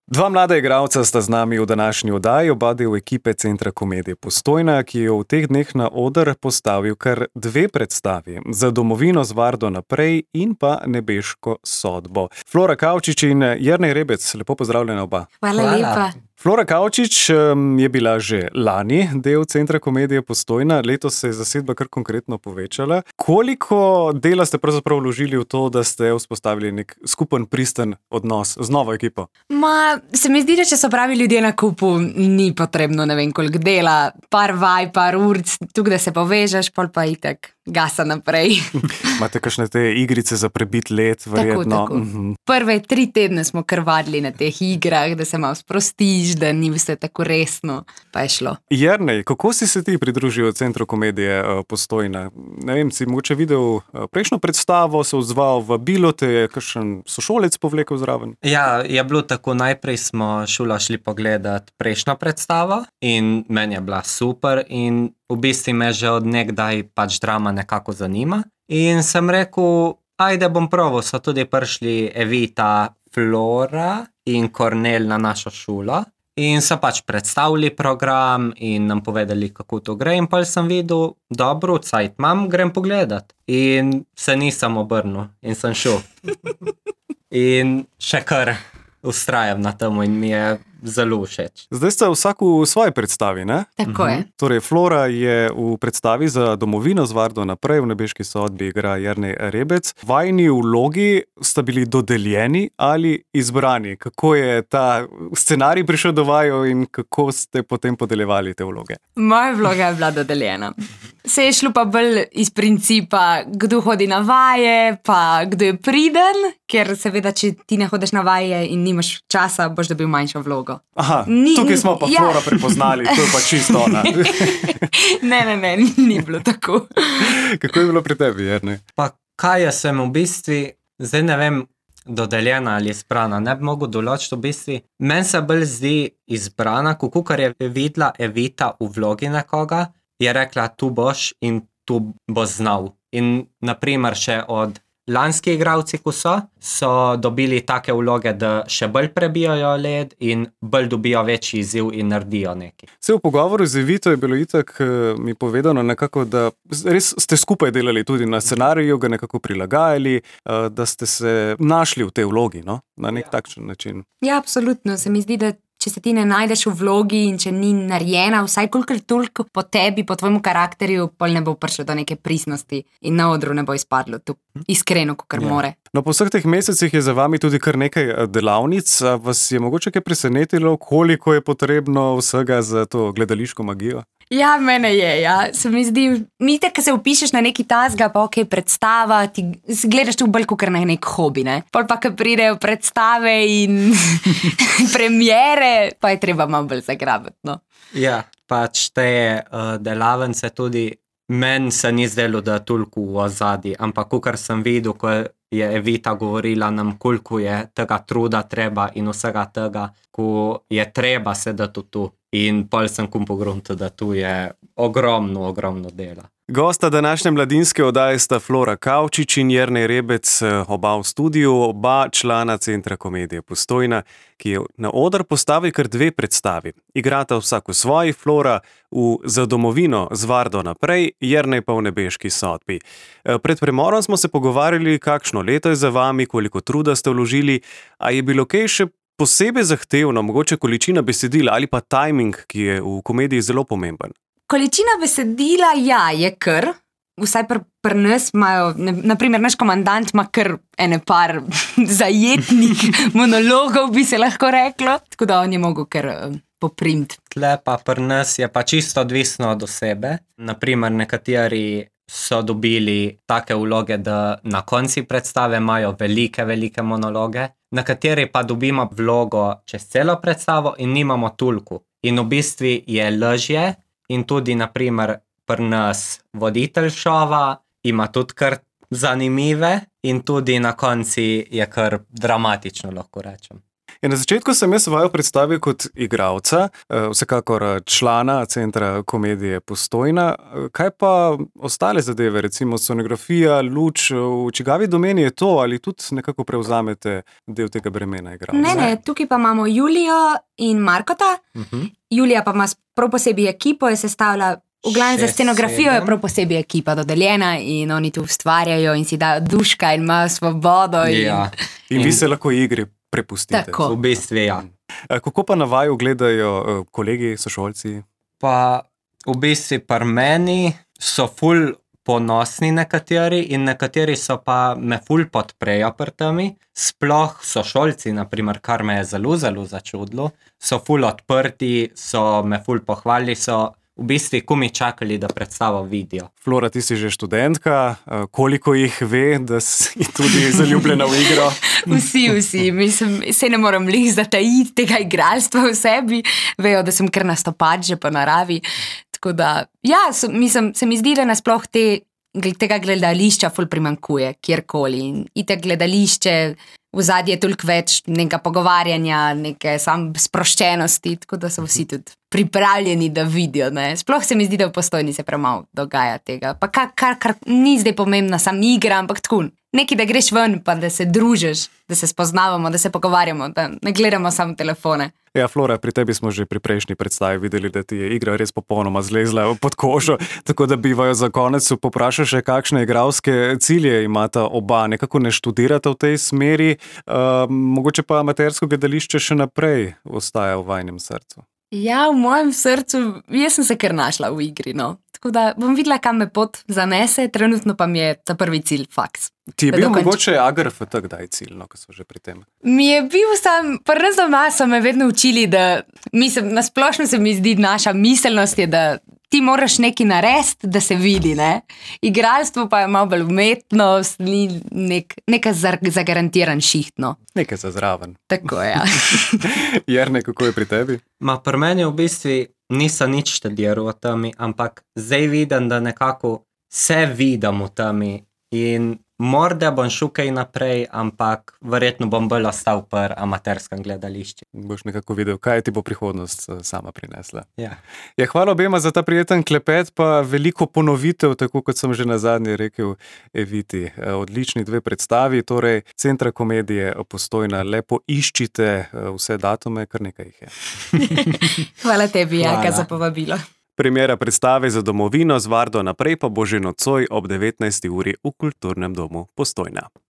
Dva mlada igralca sta z nami v današnji oddaji, oba del ekipe Centra komedije Postojna, ki je v teh dneh na oder postavil kar dve predstavi: Za domovino z Vardo naprej in pa Nebeško sodbo. Flora Kavčič in Jernej Rebec, lepo pozdravljena oba. Hvala lepa. Flora Kavčič je bila že lani del Centra komedije Postojna, letos se je zasedba kar konkretno povečala. Koliko dela ste pravzaprav vložili v to, da ste vzpostavili nek skupen pristen odnos z novo ekipo? Se mi zdi, da če so pravi ljudje na kupu, ni potrebno ne vem koliko dela, par vaj, par ur, tukaj da se povežeš, pol pa itak gasa naprej. Imate kakšne te igrice za prebit let, verjetno? Tako. Prve 3 tedne smo krvadili na teh igrah, da se malo sprostiš, da ni vse tako resno, pa je šlo. Jernej, kako si se ti pridružil Centru komedije Postojna? Ne vem, si mogoče videl prejšnjo predstavo, se odzval v bilo, te je kakšen sošolec povlekel zraven? Ja, je bilo tako, najprej smo šula šli pogledat prejšnjo predstavo in meni je bila super in v bistvu me že od nekdaj pač drama nekako zanima. In sem rekel, ajde bom proval, so tudi prišli Evita, Flora in Kornel na našo šulo. In so pač predstavili program in nam povedali, kako to gre. In pa sem videl, dobro, cajt imam, grem pogledat. In se nisem obrnil in sem šel. In še kar ustrajam na temu in mi je zelo všeč. Zdaj ste vsak v svoji predstavi, ne? Tako je. Torej, Flora je v predstavi Za domovino z Vardo naprej, v Nebeški sodbi igra Jernej Rebec. Vajini vlogi sta bili dodeljeni ali izbrani? Kako je ta scenarij prišel do vaju in kako ste potem podeljevali te vloge? Moja vloga je bila dodeljena. Se je šlo pa bolj iz principa, kdo hodi na vaje, pa kdo je priden, ker seveda, če ti ne hodiš na vaje in nimaš časa, boš dobil manjšo vlogo. Aha, tukaj smo pa Flora prepoznali, to je pa čisto ona. Ne, ni bilo tako. Kako je bilo pri tebi, Jernej? Pa kaj jaz sem v bistvu, zdaj ne vem, dodeljena ali izbrana, ne bi mogel določiti v bistvu. Meni se bolj zdi izbrana, kakor je videla Evita v vlogi nekoga, je rekla, tu boš in tu boš znal. In naprimer še od lanski igralci, ko so dobili take vloge, da še bolj prebijajo led in bolj dobijo večji izziv in naredijo nekaj. Se v pogovoru z Evito je bilo itak mi povedano nekako, da res ste skupaj delali tudi na scenariju, ga nekako prilagajali, da ste se našli v tej vlogi, no? Na nek takšen način. Ja, absolutno. Se mi zdi, da če se ti ne najdeš v vlogi in če ni narejena, vsaj kolikor toliko po tebi, po tvojemu karakterju, pol ne bo prišlo do neke pristnosti in na odru ne bo izpadlo tu iskreno, kakor more. No, po vseh teh mesecih je za vami tudi kar nekaj delavnic. Vas je mogoče kaj presenetilo, koliko je potrebno vsega za to gledališko magijo? Ja, mene je, ja. Se mi zdi, mite, ko se upišeš na neki tasga, pa ok, predstava, ti gledaš tu bolj kakor na nek hobi, ne? Pol pa, ko pridejo predstave in premiere, pa je treba malo bolj zagrabiti, no. Ja, pač te delavnice tudi, meni se ni zdelo, da je toliko v ozadju, ampak kakor sem videl, ko je Evita govorila nam, koliko je tega truda treba in vsega tega, ko je treba sedeti tu. In pol sem pogruntil, da tu je ogromno dela. Gosta današnje mladinske oddaje sta Flora Kavčič in Jernej Rebec, oba v studiu, oba člana Centra komedije Postojna, ki je na oder postavil kar 2 predstavi. Igrata vsak v svoji, Flora v Za domovino z Vardo naprej, Jernej pa v Nebeški sodbi. Pred premorom smo se pogovarjali, kakšno leto je za vami, koliko truda ste vložili, a je bilo kaj še posebej zahtevno, mogoče količina besedila ali pa timing, ki je v komediji zelo pomemben? Količina besedila, ja, je kar. Vsaj pri nas imajo, naprimer, naš komandant ima kar ene par zajetnih monologov, bi se lahko reklo. Tako da on je mogel kar poprimti. Tle pa pri nas je pa čisto odvisno od osebe. Naprimer, nekateri so dobili take vloge, da na konci predstave imajo velike monologe. Nekateri pa dobimo vlogo čez celo predstavo in nimamo toliko. In v bistvu je lažje in tudi, naprimer, pri nas voditelj šova ima tudi kar zanimive in tudi na konci je kar dramatično, lahko rečem. Na začetku sem jaz vaju predstavil kot igralca, vsekakor člana Centra komedije Postojna. Kaj pa ostale zadeve, recimo scenografija, luč, v čigavi domeni je to ali tudi nekako prevzamete del tega bremena igralca? Ne, tukaj pa imamo Julijo in Markota. Julija pa ima prav posebej ekipo, je sestavila, v glavnem za scenografijo je prav posebej ekipa dodeljena in oni tu ustvarjajo in si dajo duška in imajo svobodo. In vi se lahko igri prepustite. Tako. V bistvu, ja. Kako pa na vaju gledajo kolegi, sošolci? Pa v bistvu pri meni so ful ponosni nekateri in nekateri so pa me ful podprejo pri temi. Sploh sošolci, naprimer, kar me je zelo začudilo, so ful odprti, so me ful pohvalili, so v bistvu komi čakali, da predstavo vidijo. Flora, ti si že študentka, koliko jih ve, da si tudi zaljubljena v igro? Vsi, mislim, se ne moram lih zatajiti tega igralstva v sebi, vejo, da sem kar nastopač že po naravi. Tako da, ja, mislim, se mi zdi, da nasploh tega gledališča ful primankuje, kjerkoli. In itak gledališče, v zadnje je toliko več nekega pogovarjanja, neke sam sproščenosti, tako da so vsi tudi pripravljeni, da vidijo. Ne? Sploh se mi zdi, da v Postojni se premalo dogaja tega. Pa kar ni zdaj pomembna sam igra, ampak tako, nekaj, da greš ven, pa da se družiš, da se spoznavamo, da se pogovarjamo, da ne gledamo samo telefone. Ja, Flora, pri tebi smo že pri prejšnji predstavi videli, da ti je igra res popolnoma zlezla pod kožo, tako da bi vaju za konec poprašal še, kakšne igralske cilje imata oba, nekako ne študirata v tej smeri, mogoče pa amatersko gledališče še naprej ostaja v vajnem srcu. Ja, v mojem srcu, jaz sem se kar našla v igri, no. Tako da bom videla, kam me pot zanese, trenutno pa mi je ta prvi cilj faks. Ti je bil mogoče AGRFT kdaj cilj, no, ko so že pri tem? Mi je bil pri nas doma so me vedno učili, da nasplošno se mi zdi naša miselnost je, da ti moraš nekaj narediti, da se vidi, ne? Igralstvo pa je malo bolj umetnost, ni neka zagarantiran šiht, no. Nekaj za zraven. Tako, ja. Jerne, kako je pri tebi? Pri meni v bistvu nisem nič študiral v temi, ampak zdaj vidim, da nekako se vidim v temi in morda bom šel kaj naprej, ampak verjetno bom bolj ostal pri amaterskem gledališču. Boš nekako videl, kaj ti bo prihodnost sama prinesla. Ja. Hvala obema za ta prijeten klepet, pa veliko ponovitev, tako kot sem že nazadnje rekel Eviti. Odlični dve predstavi, torej Centra komedije Postojna. Lepo iščite vse datume, kar nekaj jih je. Hvala tebi, Jaka, za povabilo. Premiera predstave Za domovino z Vardo naprej pa bo že nocoj ob 19. uri v Kulturnem domu Postojna.